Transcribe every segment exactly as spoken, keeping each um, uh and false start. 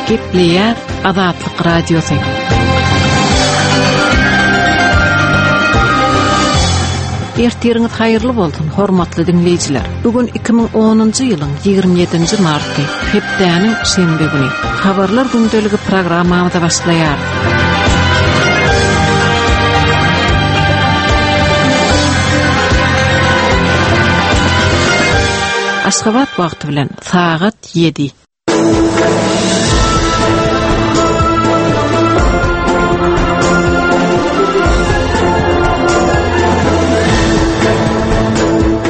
Gepleýär Azatlyk Radiosy. Ertiriňiz haýyrly bolsun, hormatly diňleýjiler. Bu gün iki müň onunjy ýylyň ýigrimi ýedinji marty, hepdäniň şenbe güni. Habarlar gündeligi programmamyza başlaýar. Aşgabat wagty bilen sagat ýedi.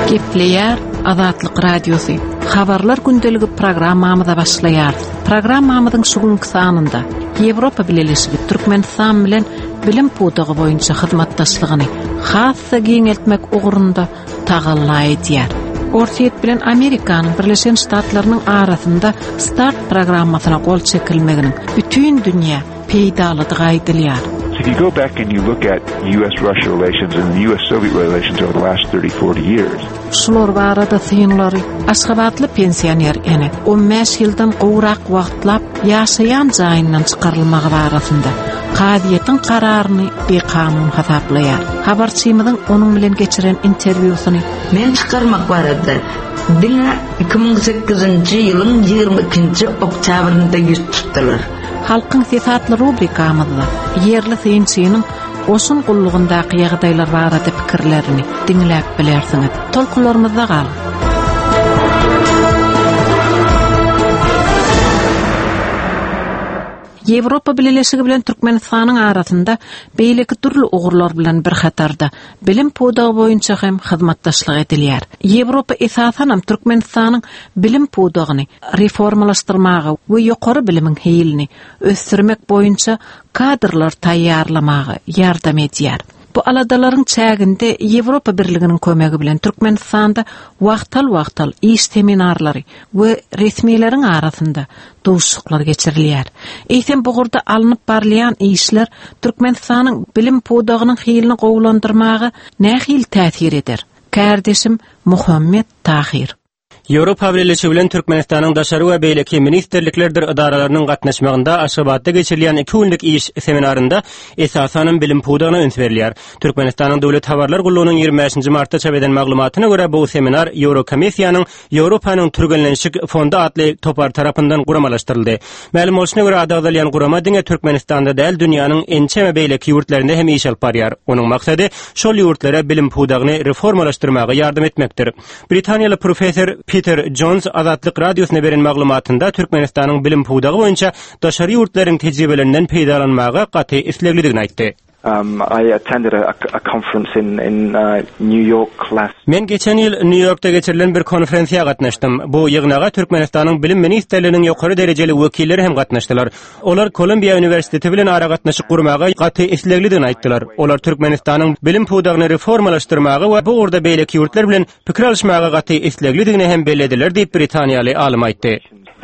Gepleýär Azatlyk Radiosy. Habarlar gündeligi programmamyza başlaýarys. Programmamyzyň şu günki sanynda Ýewropa Bileleşigi Türkmenistan bilen bilim pudagy boýunça hyzmatdaşlygyny has-da giňeltmek ugrunda tagalla edýär. Orsýet bilen Amerikanyň Birleşen Ştatlarynyň arasynda START programmasyna gol çekilmeginiň bütin dünýä peýdalydygy aýdylýar. If you go back and you look at U S Russia relations and the U S Soviet relations over the last thirty, forty years. Şular barada synlary Aşgabatly pensioner ene on bäş ýyldan gowrak wagtlap ýaşaýan jaýyndan çykarylmagy barasynda kazyýetiň kararyny bikanun hasaplaýar. Habarçymyzyň onuň bilen geçiren interwýusyny Men çykarmak barada diňe iki müň sekizinji ýylyň ýigrimi ikinji oktýabrynda ýüz tutdular. Halkyň sesi atly rubrikamyzda ýerli synçynyň goşun gullugyndaky ýagdaýlar barada pikirlerini diňläp bilersiňiz. Tolkunlarymyzda galyň. Ýewropa Bileleşigi bilen Türkmenistanyň arasynda beýleki dürli ugurlar bilen bir hatarda bilim pudagy boýunça hem hyzmatdaşlyk edilýär. Ýewropa esasanam Türkmenistanyň bilim pudagyny reformalaşdyrmaga we ýokary bilimiň hilini ösdürmek boýunça kadrlar taýýarlamaga ýardam edýär. Bu aladalaryň çäginde Ýewropa Birliginiň kömegi bilen Türkmenistanda wagtal-wagtal iş seminarlary we resmileriň arasynda duşuşyklar geçirilýär. Eýsem bu ugurda alnyp barylýan işler Türkmenistanyň bilim pudagynyň hilini gowulandyrmaga nähili täsir eder? Kardeşim Muhammet Tahir. Ýewropa Bileleşigi bilen Türkmenistanyň daşary we beýleki ministrliklerdir edaralarynyň gatnaşmagynda Aşgabatda geçirilýän iki günlük iş seminarynda esasanam bilim pudagyna üns berilýär. Türkmenistanyň Döwlet Habarlar Gullugynyň ýigrimi bäşinji martda çap eden maglumatyna görä bu seminar Ýewrokomissiýanyň Ýewropanyň Türgenleşik Fondy atly topar tarapyndan guramalaşdyryldy. Mälim bolşuna görä ady agzalýan gurama diňe Türkmenistanda däl, dünýäniň ençeme beýleki ýurtlarynda hem iş alyp barýar. Onuň maksady şol ýurtlara bilim pudagyny reformalaşdyrmaga ýardam etmekdir. Britaniýaly professor Peter Jones Azatlyk Radiosyna beren maglumatynda Türkmenistanyň bilim pudagy boýunça daşary ýurtlaryň tejribelerinden peýdalanmaga gaty isleglidigini aýtdy. Um, I attended a, a conference in, in, uh, New York last Men geçen ýyl New Yorkda geçirilen bir konferensiýa gatnaşdym. Bu ýygnaga Türkmenistanyň bilim ministrliginiň ýokary derejeli wekilleri hem gatnaşdylar. Olar Kolumbiýa Uniwersiteti bilen aragatnaşyk gurmaga gaty isleglidigini aýtdylar. Olar Türkmenistanyň bilim pudagyny reformalaşdyrmaga we bu ugurda beýleki ýurtlar bilen pikir alyşmaga gaty isleglidigini hem bellediler diýip Britaniýaly alym aýtdy.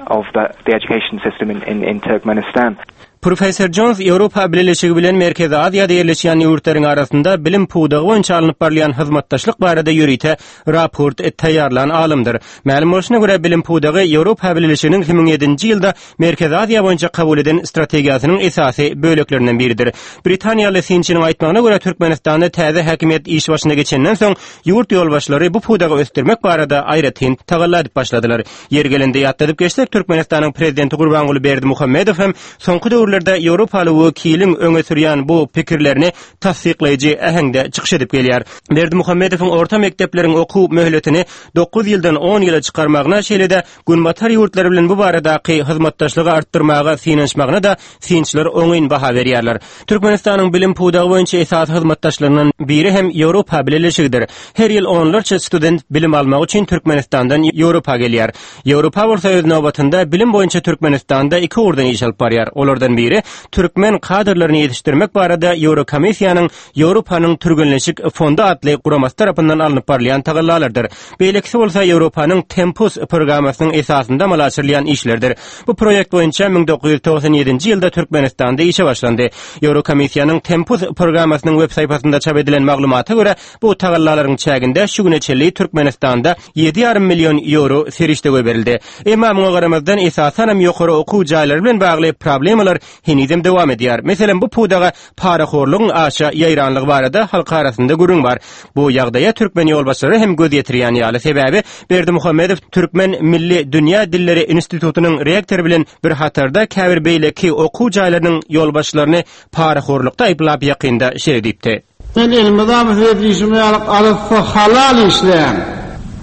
Of the, the education system in, in, in Turkmenistan. Professor Jones Ýewropa Bileleşigi bilen Merkezi Aziýada ýerleşýän ýurtlaryň arasynda bilim pudagy boýunça alnyp barylýan hyzmatdaşlyk barada ýörite raport taýýarlan alymdyr. Mälim bolşuna görä bilim pudagy Ýewropa Bileleşiginiň iki müň ýedinji ýylda Merkezi Aziýa boýunça kabul eden strategiýasynyň esasy böleklerinden biridir. Britaniýaly synçynyň aýtmagyna görä Türkmenistanda täze häkimiýet iş başyna geçenden soň ýurt ýolbaşçylary bu pudagy ösdürmek barada aýratyn tagalla edip başladylar. Ýer gelende ýatladyp geçsek, Türkmenistanyň prezidenti Gurbanguly Berdimuhamedow hem soňky döwürlerde Ýewropaly wekiliň öňe sürýän bu pikirlerini tassyklaýjy äheňde çykyş edip gelýär. Berdimuhamedowyň orta mekdepleriň okuw möhletini dokuz ýyldan on ýyla çykarmagyna, şeýle-de Günbatar ýurtlary bilen bu baradaky hyzmatdaşlygy artdyrmaga synanyşmagyna da synçylar oňyn baha berýärler. Türkmenistanyň bilim pudagy boýunça esasy hyzmatdaşlaryndan biri hem Ýewropa Bileleşigidir. Her ýyl onlarça student bilim almak üçin Türkmenistandan Ýewropa gelýär. Ýewropa bolsa öz nobatynda bilim boýunça Türkmenistanda iki ugurdan iş alyp barýar. Olardan biri biri türkmen kadrlaryny ýetişdirmek barada Ýewrokomissiýanyň Ýewropanyň Türgenleşik fondy atly guramasy tarapyndan alnyp barylýan tagallalardyr. Beýlekisi bolsa Ýewropanyň Tempus programmasynyň esasynda amala aşyrylýan işlerdir. Bu proýekt boýunça müň dokuz ýüz togsan ýedinji ýylda Türkmenistanda işe başlandy. Ýewrokomissiýanyň Tempus programmasynyň web saýfasynda çap edilen maglumata görä, bu tagallalaryň çäginde şu güne çenli Türkmenistanda ýedi ýarym million ýewro serişde goýberildi. Emma muňa garamazdan esasanam ýokary okuw jaýlary bilen bagly problemalar henizem dowam edýär. Meselem, bu pudaga parahorlugyň aşa ýaýranlygy barada halk arasynda gürrüň bar. Bu ýagdaýa türkmen ýolbaşçylary hem göz ýetirýän ýaly. Sebäbi Berdimuhamedow Türkmen Milli Dünýä Dilleri Institutynyň rektory bilen bir hatarda käbir beýleki okuw jaýlarynyň ýolbaşçylaryny parahorlukda aýyplap ýakynda şeýle diýipdi. Men elime da bir ýalyk arassa halal işleýän.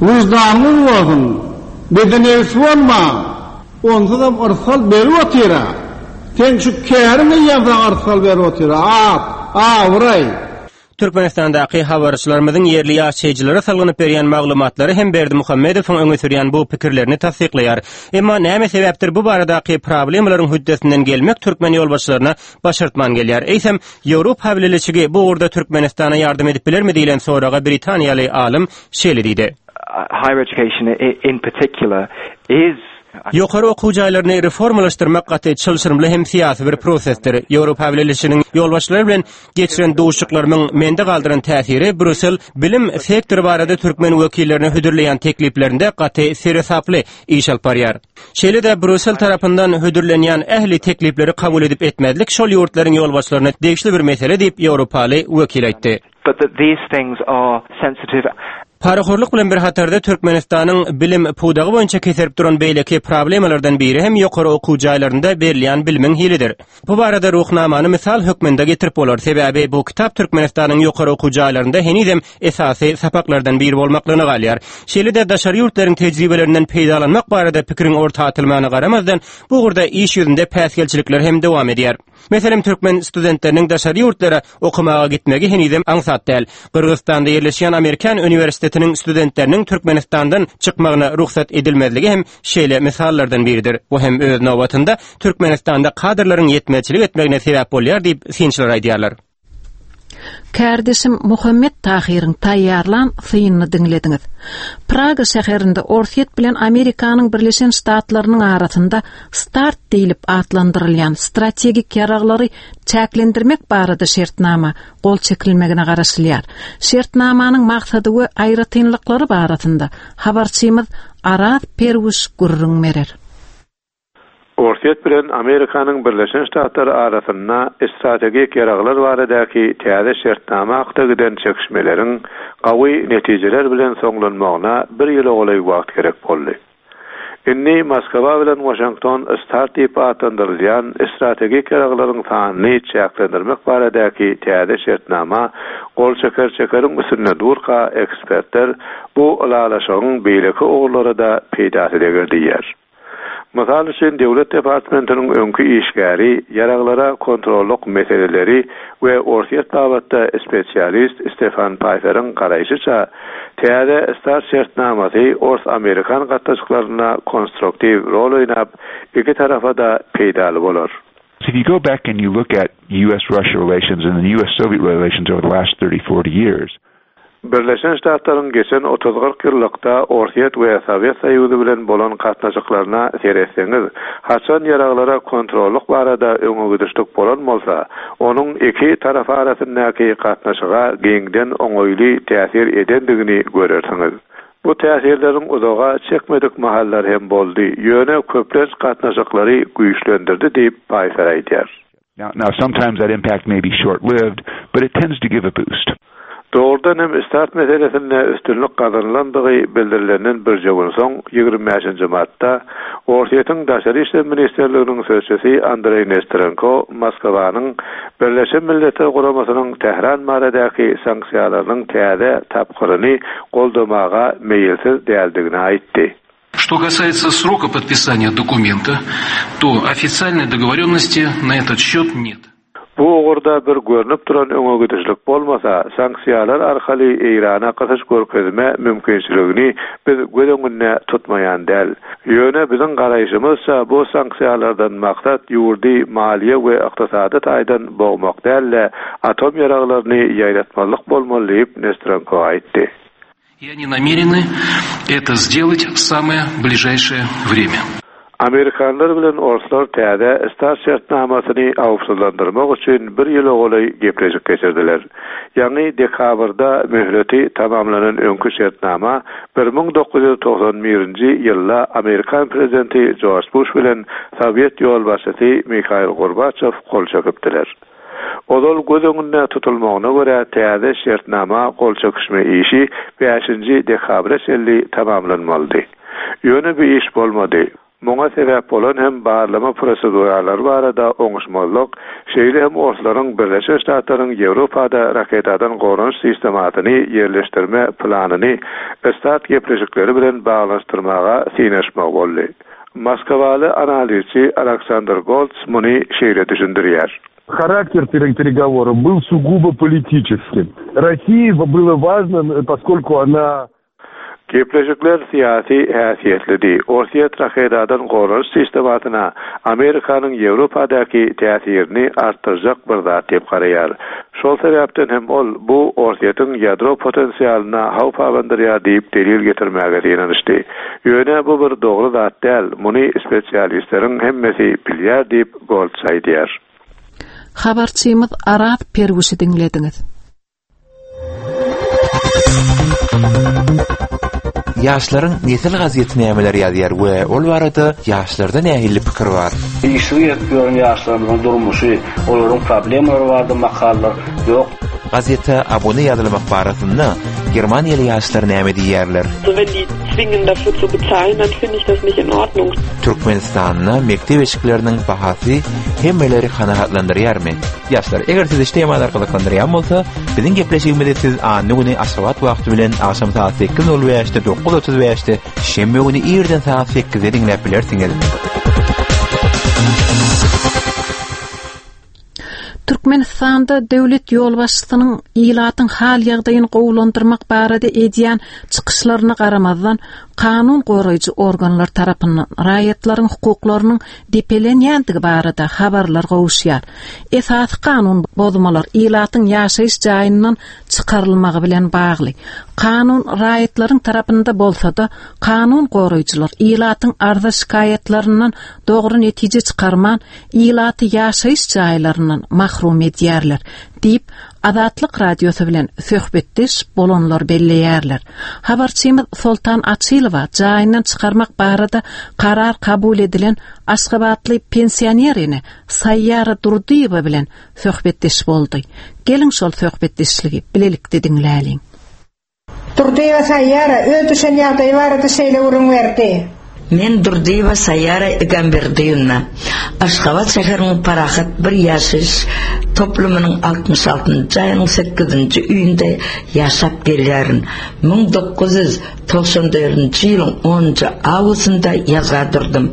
Wyždanly bolsun, beden egsik bolma. Onsuzam yrsal berip otyra. Sen şu käriňi ýazan yrsal berip otyra. At, awraý. Türkmenistandaky habarçylarymyzyň ýerli ýaşaýjylara salgynyp berýän maglumatlary hem Berdimuhamedowyň öňe sürýän bu pikirlerini tassyklaýar. Emma näme sebäpdir bu baradaky problemalaryň hüddesinden gelmek türkmen ýolbaşçylaryna başartman gelýär. Eýsem, Ýewropa Bileleşigi bu ugurda Türkmenistana ýardam edip bilermi diýlen soraga Britaniýaly alym şeýle diýdi. Higher education in particular is Ýokary okuw jaýlaryny reformalaşdyrmak gaty çylşyrymly hem syýasy bir prosesdir. Ýewropa Bileleşiginiň ýolbaşçylary bilen geçiren duşuşyklarymyň mende galdyran täsiri Brüssel bilim sektory barada türkmen wekillerine hödürleýän tekliplerinde gaty seresaply iş alyp barýar. Şeýle-de Brüssel tarapyndan hödürlenýän ähli teklipleri kabul edip etmezlik şol ýurtlaryň ýolbaşçylaryna degişli bir mesele diýip Ýewropaly wekil aýtdy. But that these things are sensitive. Parahorluk bilen bir hatarda Türkmenistanyň bilim pudagy boýunça keserip duran beýleki problemalardan biri hem ýokary okuw jaýlarynda berilýän bilimiň hilidir. Bu barada ruhnamany misal hökmünde getirip bolar. Sebäbi bu kitap Türkmenistanyň ýokary okuw jaýlarynda henizem esasy sapaklardan biri bolmaklygyna galýar. Şeýle-de daşary ýurtlaryň tejribelerinden peýdalanmak barada pikiriň orta atylmagyna garamazdan bu ugurda iş ýüzünde päsgelçilikler hem dowam edýär. Meselem, türkmen studentleriniň daşary ýurtlara okamaga gitmegi henizem aňsat däl. Gyrgyzystanda ýerleşýän Amerikan uniwersitetiniň studentleriniň Türkmenistandan çykmagyna rugsat edilmezligi hem şeýle misallardan biridir. Bu hem öz nobatynda Türkmenistanda kadrlaryň ýetmezçilik etmegine sebäp bolýar diýip synçylar aýdýarlar. Kardeşim Muhammed Tahirin taýýarlan synyny diňlediňiz. Praga şäherinde Orsýet bilen Amerikanyň Birleşen Ştatlarynyň arasynda START diýlip atlandyrylýan strategik ýaraglary çäklendirmek barada şertnama gol çekilmegine garaşylýar. Şertnamanyň maksady we aýratynlyklary barasynda habarçymyz Araz Perwiş gürrüň berer. Orsýet bilen Amerikanyň Birleşen Ştatlary arasynda strategik ýaraglar baradaky täze şertnama hakda giden çekişmeleriň gawy netijeler bilen soňlanmagyna bir ýyla golaý wagt gerek boldy. Indi Moskwa bilen Washington START diýip atlandyrylýan strategik ýaraglaryň sanyny çäklendirmek baradaky täze şertnama gol çeker çekeriň üstünde durka ekspertler bu ylalaşygyň beýleki ugurlara da peýdasy deger diýýär. Mysal üçin Döwlet departamentiniň öňki işgäri, ýaraglara kontrollyk meseleleri we Orsýet babatda spesialist Stefan Pfeiferiň garaýşyça täze START şertnamasy Ors-Amerikan gatnaşyklaryna konstruktiw rol oýnap, iki tarafa da peýdaly bolar. If you go back and you look at U S-Russia relations and the U S-Soviet relations over the last thirty, forty years, Birleşen Ştatlaryň geçen otuz kyrk ýyllykda Orsýet we Sowet Soýuzy bilen bolan gatnaşyklaryna seretseňiz, haçan ýaraglara kontrollyk barada öňe gidişlik bolan bolsa, onuň iki tarap arasyndaky gatnaşyga giňden oňaýly täsir edendigini görersiňiz. Bu täsirleriň uzaga çekmedik mahallar hem boldy, ýöne köplenç gatnaşyklary güýçlendirdi diýip Pfeiffer aýdýar. Now, now sometimes that impact may be short-lived, but it tends to give a boost. Doğrudan hem START meselesinde üstünlik gazanylandygy bildirilenden bir gün soň ýigrimi bäşinji martda Orsýetiň Daşary İşler Ministerliginiň sözçüsi Andrei Nesterenko Moskwanyň Birleşen Milletler Guramasynyň Tähran baradaky sanksiýalarynyň täze tapgyryny goldamaga meýilsiz däldigini aýtdy. Что касается срока подписания документа, то официальной договоренности на этот счет нет. Bu ugurda bir görnüp duran öňe gidişlik bolmasa, sanksiýalar arkaly Eýrana gysyş görkezme mümkinçiligini biz göz öňünde tutmaýan däl. Ýöne biziň garaýşymyzça bu sanksiýalardan maksat ýurdy maliýe we ykdysady taýdan bogmak däl-de, atom ýaraglaryny ýaýratmazlyk bolmaly diýip Nesterenko aýtdy. И они намерены это сделать в самое ближайшее время. Amerikanlar bilen orslar täze START şertnamasyny howpsuzlandyrmak üçin bir ýyla golaý gepleşik geçirdiler. Ýagny dekabrda möhleti tamamlanan öňki şertnama bir müň dokuz ýüz togsan birinji ýylda Amerikan prezidenti Jorj Buş bilen Sowet ýolbaşçysy Mihail Gorbaçew gol çekipdiler. Ozal göz öňünde tutulmagyna görä täze şertnama gol çekişme işi bäşinji dekabra çenli tamamlanmalydy. Ýöne bir iş bolmady. Muňa sebäp bolan hem barlama proseduralary barada oňuşmazlyk, şeýle hem orslaryň Birleşen Ştatlaryň Ýewropada raketadan goranyş sistemasyny ýerleşdirme planyny START gepleşikleri bilen baglanyşdyrmaga synaşmak boldy. Moskwaly analizçi Aleksandr Goltz muny şeýle düşündirýär. Характер переговоров был сугубо политическим. России было важно, поскольку она Gepleşikler syýasy häsiýetlidi. Orsýet raketadan goranyş sistemasyna Amerikanyň Ýewropadaky täsirini artdyrjak bir zat diýip garaýar. Şol sebäpden hem ol bu Orsýetiň ýadro potensialyna howp abandyrýar diýip delil getirmäge synanyşdy. Ýöne bu bir dogry zat däl, muny spesialistleriň hemmesi bilýär diýip Goltz aýdýar. Habarçymyz Araz Perwişi diňlediňiz. Ýaşlaryň nesil gazeti nämeler ýazýar we ol barada ýaşlarda nähili pikir bar? Işsiz gezip ýören ýaşlarymyzyň durmuşy, olaryň problemalary barada makalalar ýok. Gazete abone ýazylmak barasynda Germaniýaly ýaşlar näme diýýärler? So wenn die zwingen dafür zu bezahlen, dann finde ich das nicht in Ordnung. Türkmenistanda mektep eşikleriniň bahasy hemmeleri kanagatlandyrýarmy? Ýaşlar, eger sizi şu temalar gyzyklandyrýan bolsa, biziň gepleşigimizi siz anna güni Aşgabat wagty bilen agşam saat sekiz nol bäşde, dokuz otuz bäşde, şenbe güni irden saat sekizde diňläp bilersiňiz. Türkmenistanda döwlet ýolbaşçysynyň ilatyň hal ýagdaýyny gowulandyrmak barada edýän çykyşlaryna garamazdan, kanun goraýjy organlar tarapyndan raýatlaryň hukuklarynyň depelenýändigi barada habarlar gowuşýar. Esasy kanun bozmalar ilatyň ýaşaýyş jaýyndan çykarylmagy bilen bagly. Kanun raýatlaryň tarapynda bolsa-da, kanun goraýjylar ilatyň arza şikaýatlaryndan dogry netije çykarman, ilaty ýaşaýyş jaýlaryndan mahrum edýärler diýip Azatlyk radiosy bilen söhbetdeş bolanlar belleýärler. Habarçymyz Soltan Açylowa jaýyndan çykarmak barada karar kabul edilen Aşgabatly pensionerini Saýýara Durdyýewa bilen söhbetdeş boldy. Geliň şol söhbetdeşligi bilelikde diňläliň. Durdyýewa Saýýara öz düşen ýagdaýy barada şeýle gürrüň berdi. Men Durdyýewa Saýýara Egamberdiýewna. Aşgabat şäheriniň Parahat bir ýaşaýyş toplumynyň altmyş altynjy aýynyň sekizinji öýünde ýaşap gelýärin. Müň dokuz ýüz togsan dördünji ýylyň onunjy awgustynda ýazga durdum.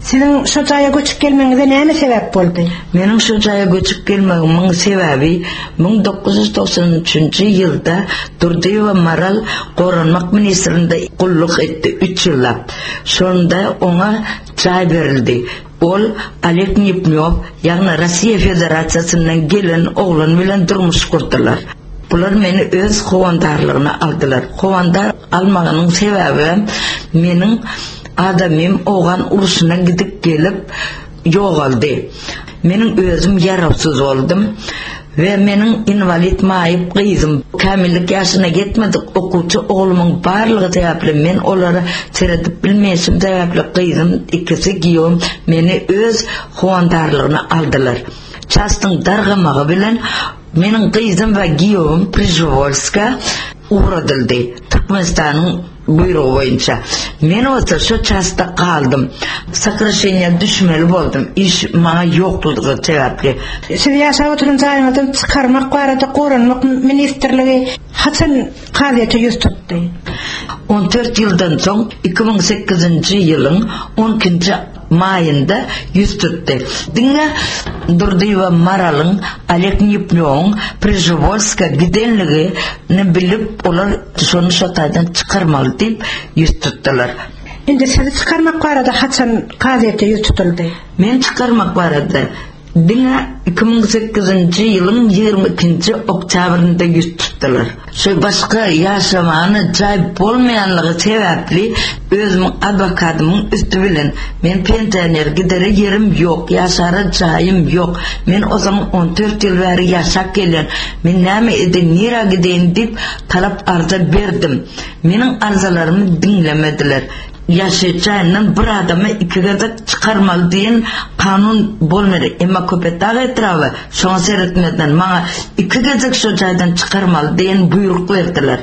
Siziň şu jaýa göçüp gelmegiňize näme sebäp boldy? Meniň şu jaýa göçüp gelmegimiň sebäbi müň dokuz ýüz togsan üçünji ýylda Durdyýewa Maral Goranmak ministrinde gulluk etdi üç ýyllap. Şonda oňa jaý berildi. Ol Oleg Nipnýow, ýagny Russiýa Federasiýasyndan gelen oglan bilen durmuş gurdular. Bular meni öz howandarlygyna aldylar. Howandar almagynyň sebäbi meniň adamym Owgan urşuna gidip gelip ýogaldy. Meniň özüm ýarawsyz boldum we meniň invalid maýyp gyzym kämillik ýaşyna ýetmedik okuwçy oglumyň barlygy sebäpli men olara seredip bilmeýşim sebäpli gyzym ikisi giýewim meni öz howandarlygyna aldylar. Çastyň dargamagy bilen meniň gyzym we giýewim Prižewolska ugradyldy. Türkmenistanyň buýrugy boýunça. Men bolsa şu çasta galdym. Sakraşeniýa düşmeli boldum. Iş maňa ýoklugy sebäpli. Siz ýaşap oturan jaýyňyzdan çykarmak barada Goranmak ministrligi haçan kazyýete ýüz tutdy? On dört ýyldan soň iki müň sekizinji ýylyň on ikinji maýynda ýüz tutdy. Diňe Durdyýewa Maralyň Oleg Nýupnýowyň Przeworska gidenligini bilip, olar şony şo taýdan çykarmaly diýip ýüz tutdular. Indi sizi çykarmak barada haçan kazyýete ýüz tutuldy? Meni çykarmak barada diňe iki müň sekizinji ýylyň ýigrimi ikinji oktýabrynda ýüz tutdular. Şo başga ýaşamana jaý bolmaýanlygy sebäpli özümiň adwokadymyň üsti bilen men pensioner gidere ýerim ýok, ýaşara jaýym ýok, men ozal on dört ýyl bäri ýaşap gelýän, men näme edeýin, nirä gideýin diýip talap arza berdim. Meniň arzalarymy diňlemediler. Ýaşaýyş jaýyndan bir adamy iki gezek çykarmaly diýen kanun bolmady. Emma Köpetdag etraby şoňa seretmezden maňa iki gezek şo jaýdan çykarmaly diýen buýruk berdiler.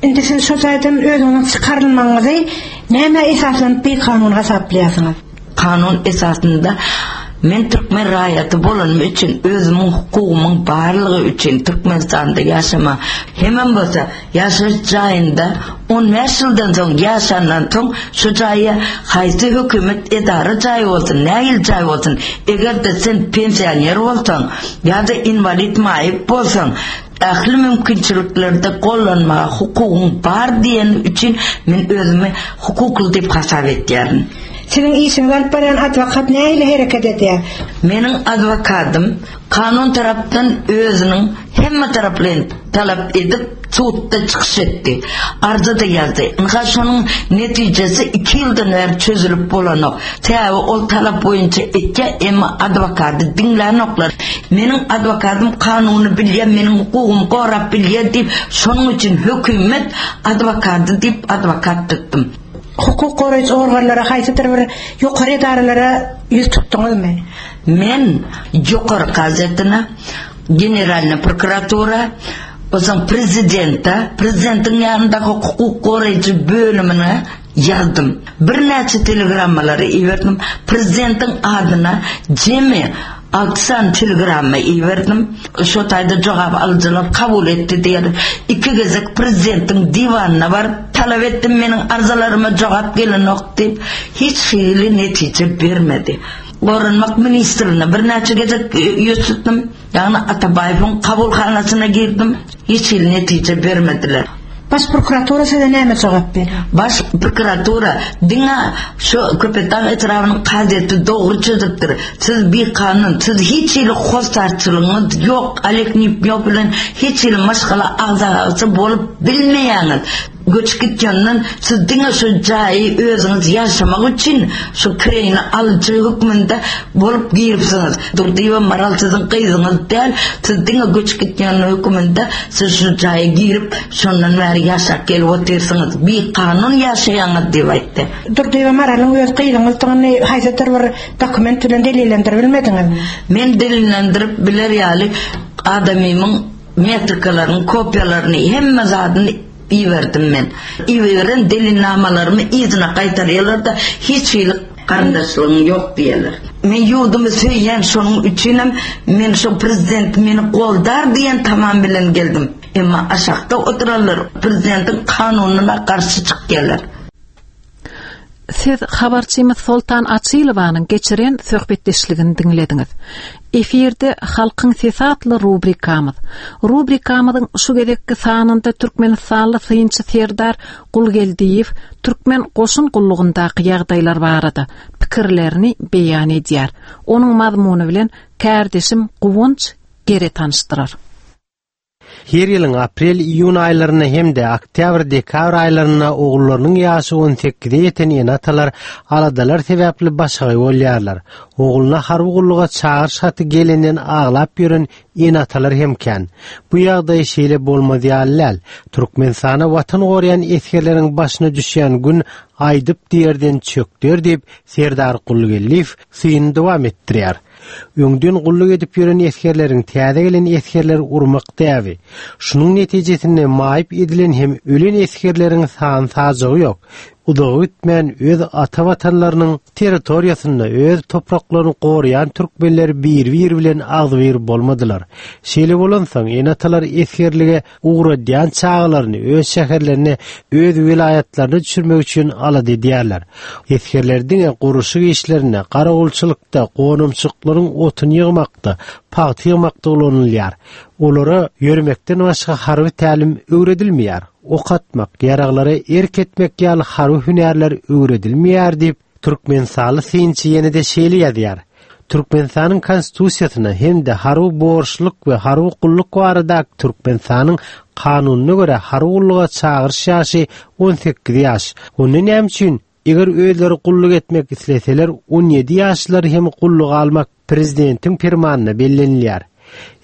Indi siz şo jaýdan özüňiziň çykarylmagyňyzy nämä esaslanyp bikanun hasaplaýarsyňyz? Kanun esasynda men türkmen raýaty bolanym üçin özümiň hukugymyň barlygy üçin Türkmenistanda ýaşama hemem bolsa ýaşaýyş jaýynda on bäş ýyldan soň ýaşandan soň şu jaýa haýsy hökümet edara jaýy bolsun nähili jaý bolsun eger-de sen pensioner bolsaň ýa-da inwalid maýyp bolsaň ähli mümkinçiliklerde gollanmaga hukugyň bar diýeni üçin men özümi hukukly diýip hasap etýärin. Siziň işiňizi alyp barýan adwokat nähili hereket edýär? Meniň adwokatym kanun tarapdan özüniň hemme taraplaýyn talap edip sudda çykyş etdi. Arza-da ýazdy. Ynha şonuň netijesi iki ýyldan bäri çözülip bolanok. Sebäbi ol talap boýunça etýär, emma adwokady diňlänoklar. Meniň adwokatym kanuny bilýär, meniň hukugymy gorap bilýär diýip, şonuň üçin hökümet adwokady diýip adwokat tutdum. Hukuk goraýjy organlara haýsydyr bir ýokary edaralara ýüz tutduňyzmy? Men ýokary kazyýetine, Generalnyý prokuratura, onsoň prezidente, prezidentiň ýanyndaky hukuk goraýjy bölümine ýazdym. Birnäçe telegrammalary iberdim. Prezidentiň adyna jemi alty sany telegramma iberdim. Şo taýda jogap alyjylar kabul etdi diýerler. Iki gezek prezidentiň diwanyna baryp talap etdim, meniň arzalaryma jogap gelenok diýip, hiç hili netije bermedi. Goranmak ministrine birnäçe gezek ýüz tutdum. Ýagny Atabaýewiň kabulhanasyna girdim, hiç hili netije bermediler. Baş prokuratura size näme jogap berýär? Baş prokuratura diňe şu Köpetdag etrabynyň kazyýeti dogry çözüpdir. Siz bikanun, siz hiç hili hossarçylygyňyz ýok, Oleg Nýupnýow bilen hiç hili maşgala agzasy bolup bilmeýäňiz. Göçüp gitgenden siz diňe şu jaýy özüňiz ýaşamak üçin şu kireýini alyjy hökmünde bolup giripsiňiz. Durdyýewa Maral siziň gyzyňyz däl, siz diňe göçüp gitýän hökmünde siz şu jaýa girip şondan bäri ýaşap gelip otyrsyňyz. Bikanun ýaşaýaňyz diýip aýtdy. Durdyýewa Maralyň öz gyzyňyzdygyny haýsydyr bir dokument bilen delillendirip bilmediňizmi? Men delillendirip biler ýaly adamymyň metrikalarynyň kopiýalaryny hemme zadyny iberdim men. Iberen delilnamalarymy yzyna gaýtarýarlar-da, hiç hili garyndaşlygyň ýok diýýärler. Men ýurdumy söýýän, şonuň üçinem men şo prezident meni goldar diýen tamam bilen geldim. Emma aşakda oturanlar prezidentiň kanunyna garşy çykýarlar. Siz habarçymyz Soltan Açylowanyň geçiren söhbetdeşligini diňlediňiz. Efirde Halkyň sesi atly rubrikamyz. Rubrikamyzyň şu gezekki sanynda Türkmenistanly synçy Serdar Gulgeldiýew Türkmen goşun gullugyndaky ýagdaýlar barada pikirlerini beýan edýär. Onuň mazmuny bilen kärdeşim Guwanç Gere tanyşdyrar. Her ýylyň aprel-iýun aýlarynda hem-de oktýabr-dekabr aýlarynda ogullarynyň ýaşy on sekize ýeten ene-atalar aladalar sebäpli başagaý bolýarlar. Ogluna harby gulluga çagyryş haty gelenden aglap ýören ene-atalar hem kän. Bu ýagdaý şeýle bolmaz ýaly däl. Türkmenistana watan goraýan esgerleriň başyna düşýän gün aýdyp diýerden çökder diýip Serdar Gulgeldiýew syny dowam etdirýär. Öňden gulluk edip ýören esgerleriň täze gelen esgerleri urmak däbi. Şunuň netijesinde maýyp edilen hem ölen esgerleriň san sajagy ýok. Uzaga gitmän öz ata watanlarynyň territoriýasynda öz topraklaryny goraýan türkmenler bir-bir bilen agzybir bolmadylar. Şeýle bolansoň ene-atalar esgerlige ugradýan çagalaryny öz şäherlerine, öz welaýatlaryna düşürmek üçin alada edýärler. Esgerler diňe gurluşyk işlerinde, garawulçylykda, gonamçylyklaryň otuny ýygmakda, pagta ýygmakda ulanylýar. Olara ýöremekden başga harby tälim öwredilmeýär. Ok atmak, ýaraglara erk etmek ýaly harby hünärler öwredilmeýär diýip, Türkmenistanly synçy ýene-de şeýle ýazýar. Türkmenistanyň konstitusiýasyna hem-de harby borçluk we harby gulluk barada Türkmenistanyň kanunyna görä harby gulluga çagyryş ýaşy on sekiz ýaş. Onda näme üçin eger özleri gulluk etmek isleseler on ýedi ýaşlylary hem gulluga almak prezidentiň permanyna bellenilýär.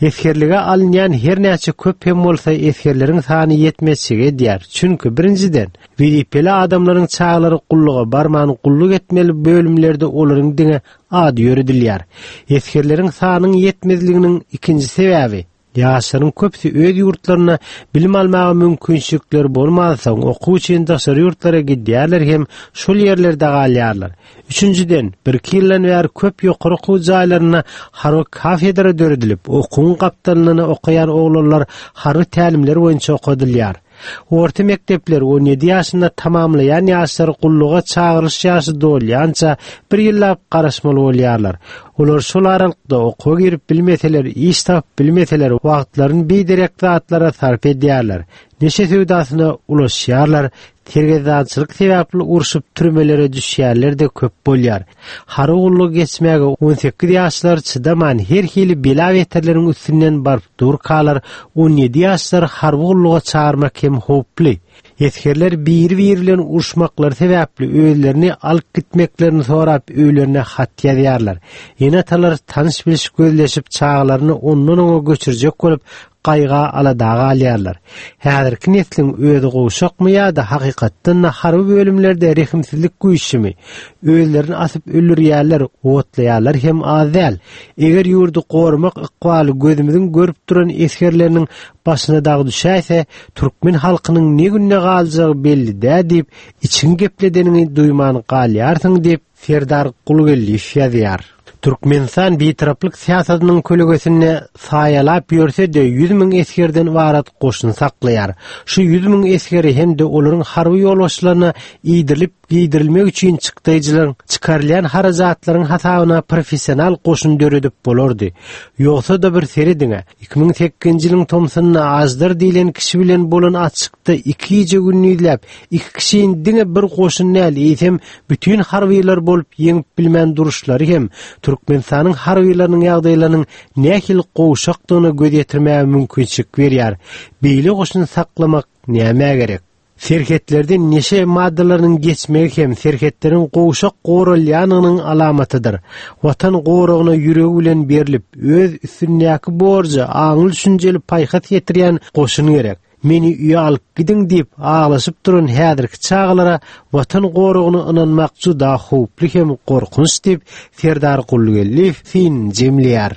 Esgerlige alynýan her näçe köp hem bolsa esgerleriň sany ýetmezçilik edýär. Çünki birinjiden wezipeli adamlaryň çagalary gulluga barman gulluk etmeli bölümlerde olaryň diňe ady ýöredilýär. Esgerleriň sanyň ýetmezliginiň ikinji sebäbi ýaşlaryň köpüsi öz ýurtlaryna bilim almaga mümkinçilikleri bolmansoň okuw üçin daşary ýurtlara gidýärler hem şol ýerlerde galýarlar. Üçünjiden, bir iki ýyldan bäri köp ýokary okuw jaýlaryna harby kafedra döredilip, okuwyň gapdalyndan okaýan oglanlar harby tälimler boýunça okadylýar. Orta mekdepler on ýedi ýaşynda tamamlaýan ýaşlar gulluga çagyryş ýaşy dolýança bir ýyllap garaşmaly bolýarlar. Olar şol aralykda okuwa girip bilmeseler, iş tapyp bilmeseler, wagtlaryny biderek zatlara sarp edýärler. Neşe söwdasyna ulaşýarlar, sergezdançylyk sebäpli urşup türmelere düşýärler de köp bolýar. Harby gullugy geçmäge on sekiz ýaşlar çydaman her hili bela beterleriň üstünden baryp durkalar, on ýedi ýaşlar harby gulluga çağırmak hem howply. Esgerler bir-bir bilen uruşmaklary sebäpli özlerini alyp gitmeklerini sorap öýlerine hat ýazýarlar. Ene-atalar tanyş biliş gözleşip çagalaryny ondan oňa göçürjek bolup gaýga aladaga alýarlar. Häzirki nesliň özi gowşakmy ýa-da hakykatdan harby bölümlerde rehimsizlik güýçmi? Özlerini asyp öldürýärler, otlaýarlar hem az däl. Eger ýurdy goramak ykbaly gözümiziň görüp duran esgerleriniň başyna dag düşäýse, türkmen halkynyň ne günde galjagy belli dä diýip, içiň gepledeniňi duýman galýarsyň diýip Serdar Gulgeldiýew ýazýar. Türkmenistan bitaraplyk syýasatynyň kölegesinde saýalap ýörse-de ýüz müň esgerden ybarat goşun saklaýar. Şu ýüz müň esgeri hem-de olaryň harby ýolbaşçylaryna iýdirilip giydirilmek üçin çykdaýjylaryň çykarylýan harajatlaryň hasabyna professional goşun döredip bolardy. Ýogsa-da bir serediňe, iki müň sekizinji ýylyň tomsunda Ajdar diýlen kişi bilen bolan açykda iki gije gündizläp, iki kişinin diňe bir goşun däl, eýsem bütün harbylar bolup ýeňip bilmän duruşlary hem Türkmenistanyň harbylarynyň ýagdaýlarynyň nähili gowşakdygyna göz ýetirmäge mümkinçilik berýär. Beýle goşun saklamak nämä gerek? Serhetlerde neşe maddalarynyň geçmegi hem serhetleriň gowşak goralýanynyň alamatydyr. Watan goragyna ýüregi bilen berilip, öz üstündäki borja aňly düşünjeli paýhas ýetirýän goşun gerek. Meni üye alyp gidiň diýip aglaşyp duran häzirki çagalara watan goragyny ynanmak juda howply hem gorkunç diýip Serdar Gulgeldiýew syn jemleýär.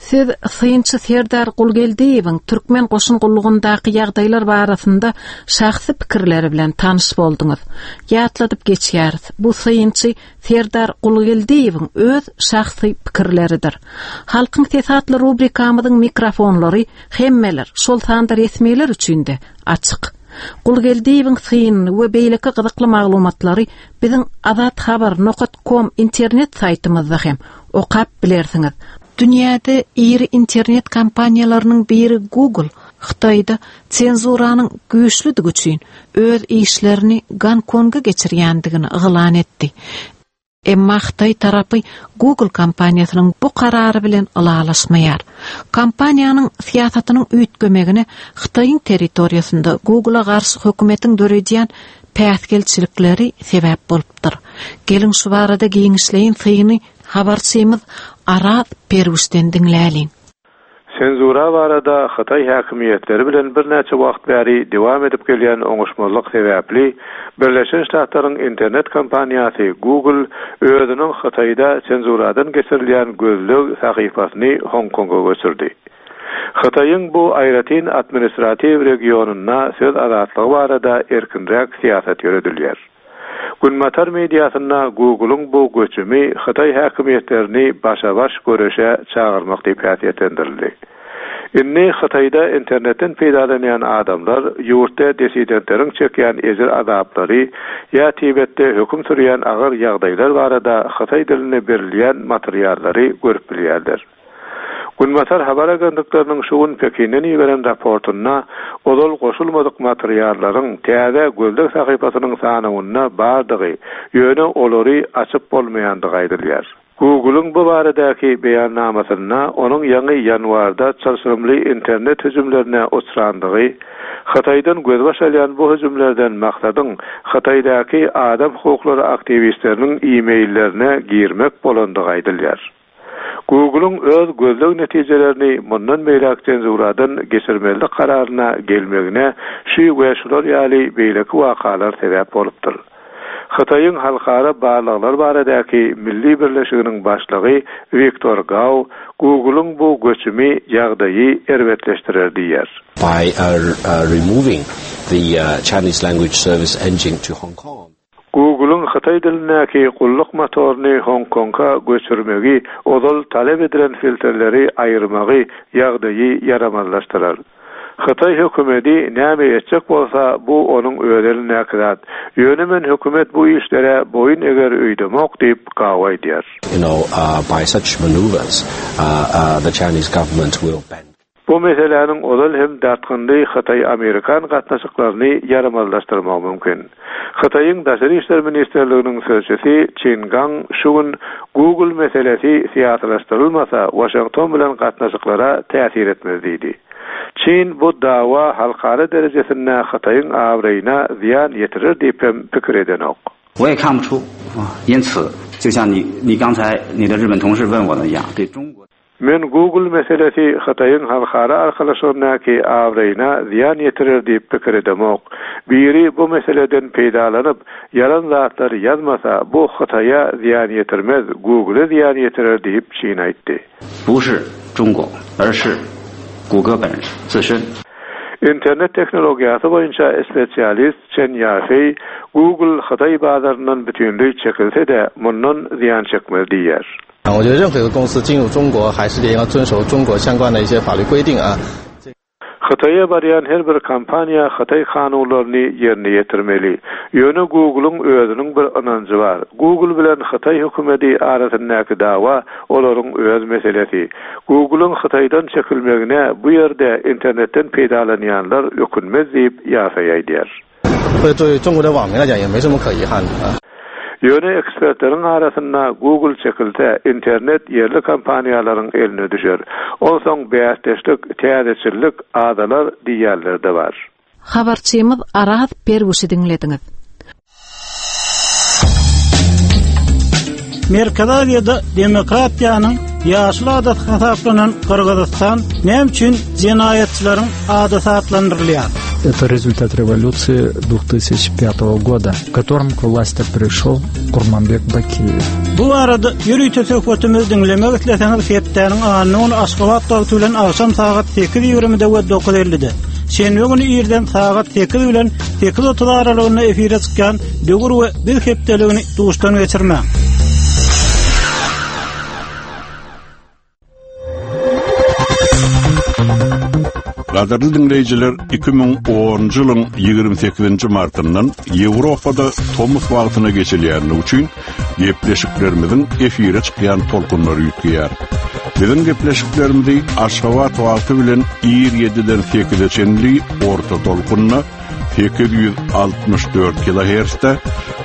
Siz synçy Serdar Gulgeldiýewiň Türkmen goşun gullugyndaky ýagdaýlar barasynda şahsy pikirleri bilen tanyş bolduňyz. Ýatladyp geçýäris. Bu synçy Serdar Gulgeldiýewiň öz şahsy pikirleridir. Halkyň sesi atly rubrikamyzyň mikrofonlary hemmeler, şol sanda resmiler üçin de açyk. Gulgeldiýewiň synyny we beýleki gyzykly maglumatlary biziň azathabar nokta com internet saýtymyzda hem okap bilersiňiz. Dünýäde iri internet kompaniýalarynyň biri Google Hytaýda senzuranyň güýçlüdigi üçin öz işlerini Gonkonga geçirýändigini yglan etdi. Emma Hytaý tarapy Google kompaniýasynyň bu karary bilen ylalaşmaýar. Kompaniýanyň syýasatynyň üýtgemegine Hytaýyň territoriýasynda Google-a garşy hökümetiň döredýän päsgelçilikleri sebäp bolupdyr. Geliň şu barada giňişleýin syny habarçymyz Araz Perwişden diňläliň. Senzura barada Hytaý häkimiýetleri bilen birnäçe wagt bäri dowam edip gelýän oňuşmazlyk sebäpli Birleşen Ştatlaryň internet kompaniýasy Google özüniň Hytaýda senzuradan geçirilýän gözleg sahypasyny Hong Konga göçürdi. Hytaýyň bu aýratyn administratiw regionynda söz azatlygy barada erkinräk syýasat ýöredilýär. Günbatar mediasynda Google-yň bu göçümi Hytaý häkimiýetlerini başa-baş göreşe çagyrmak diýip häsiýetlendirildi. Indi Hytaýda internetden peýdalanýan adamlar ýurtda dissidentleriň çekýän ejir azaplary ýa Tibetde höküm sürýän agyr ýagdaýlar barada hytaý dilinde berilýän materiallary görüp bilýärler. Günbatar habar agentlikleriniň şu gün Pekinden iberen raportynda ozal goşulmadyk materiallaryň täze gözleg sahypasynyň sanawynda bardygy, ýöne olary açyp bolmaýandygy aýdylýar. Google-yň bu baradaky beýannamasynda onuň ýaňy ýanwarda çylşyrymly internet hüjümlerine uçrandygy, Hytaýdan gözbaş alýan bu hüjümlerden maksadyň Hytaýdaky adam hukuklary aktiwistleriniň e-maillerine girmek bolandygy aýdylýar. Google-yň öz gözleg netijelerini mundan beýläk senzuradan geçirmezlik kararyna gelmegine şu we şular ýaly beýleki wakalar sebäp bolupdyr. Hytaýyň halkara barlaglar baradaky Milli birleşiginiň başlygy Wiktor Gao Google-yň bu göçümi ýagdaýy erbetleşdirer diýýär. By uh, uh, removing the uh, Chinese language service engine to Hong Kong. Google-yň hytaý dilindäki gulluk motoryny Hong Konga göçürmegi, ozal talap edilen filtrleri aýyrmagy ýagdaýy ýaramazlaşdyrar. Hytaý hökümeti näme etjek bolsa, bu onuň öz elindäki zat. Ýöne men hökümet bu işlere boýun eger öýdemok diýip Gao aýdýar. You know, uh, by such maneuvers, uh, uh, the Chinese government will bend. Bu meseläniň ozal hem dartgynly Hytaý-Amerikan gatnaşyklaryny ýaramazlaşdyrmagy mümkin. Hytaýyň Daşary işler ministrliginiň sözçüsi Çin Gang şu gün Google meselesi syýasylaşdyrylmasa Washington bilen gatnaşyklara täsir etmez diýdi. Çin bu dawa halkara derejesinde Hytaýyň abraýyna zyýan ýetirer diýip hem pikir edenok. 我也看不出啊，因此，就像你你刚才你的日本同事问我的一样，对中国。 Men Google meselesi Hytaýyň halkara arkalaşygyndaky abraýyna zyýan ýetirer diýip pikir edemok. Biri bu meseleden peýdalanyp, ýalan zatlary ýazmasa, bu Hytaýa zyýan ýetirmez, Google zyýan ýetirer diýip Çin aýtdy. 不是中国，而是谷歌本自身。 Internet tehnologiýasy boýunça spesialist Chen Yafei Google Hytaý bazaryndan bütinleý çekilse-de mundan zyýan çekmez diýýär. 我觉得任何一个公司进入中国，还是得要遵守中国相关的一些法律规定啊。 Hytaýa barýan her bir kompaniýa Hytaý kanunlaryny ýerine ýetirmeli. Ýöne Google-yň özüniň bir ynanjy bar. Google bilen Hytaý hökümeti arasyndaky dawa olaryň öz meselesi. Google-yň Hytaýdan çekilmegine bu ýerde internetden peýdalanýanlar ökünmez diýip Ýafei aýdýar. 会对中国的网民来讲也没什么可遗憾的啊。 Ýöne ekspertleriň arasynda Google çekilse internet ýerli kompaniýalaryň eline düşer. Onsoň bäsdeşlik, täzeçillik azalar diýerler de bar. Habarçymyz Araz Perwişi diňlediňiz. Merkezi Aziýada demokratiýanyň ýaşyl adaty hasaplanan Gyrgyzystan näme üçin jenaýatçylaryň adaty atlandyrylýar? Это результат революции две тысячи пятого года, в котором к власти пришел Курманбек Бакиев. Bu arada ýörite söhbetimizi diňlemek isleseňiz hepdäniň anna güni Aşgabat wagty bilen agşam sagat sekiz ýigrimide we dokuz ellide. Şenbe güni irden sagat sekiz bilen sekiz otuz aralygynda efire çykýan Döwür we Biz hepdeligini duşdan geçirmäň. Gadyrly diňleýjiler, iki müň onunjy ýylyň ýigrimi sekizinji martyndan Ýewropada tomus wagtyna geçilýänligi üçin gepleşiklerimiziň efire çykýan tolkunlary üýtgeýär. Biziň gepleşiklerimizi Aşgabat wagty bilen ir ýediden sekize çenli orta tolkunna sekiz ýüz altmyş dört kilohertzde,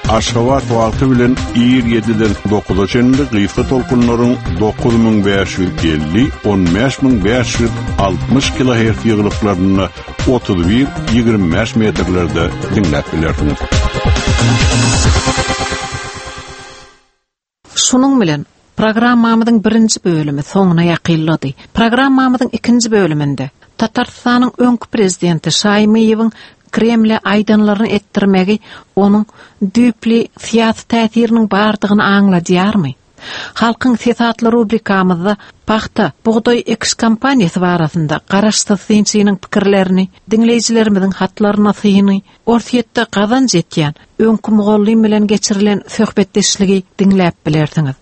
Aşgabat wagty bilen ir ýediden dokuza çenli gysga tolkunlaryň dokuz müň bäş ýüz elli on bäş müň bäş ýüz altmyş kilohertz ýyglyklarynda otuz bir ýigrimi bäş metrlerde diňläp bilersiňiz. Şunuň bilen programmamyzyň birinji bölümi soňuna ýakynlady. Programmamyzyň ikinji bölüminde Tatarystanyň öňki prezidenti Şaýmyýewiň Kremle aýdanlaryny etdirmegi onuň düýpli syýasy täsiriniň bardygyny aňladýarmy? Halkyň sesi atly rubrikamyzda pagta, bugdaý ekiş kampaniýasy barasynda garaşsyz synçynyň pikirlerini, diňleýjilerimiziň hatlaryna syny, Orsýetde gazanç etýän öňki mugallym bilen geçirilen söhbetdeşligi diňläp bilersiňiz.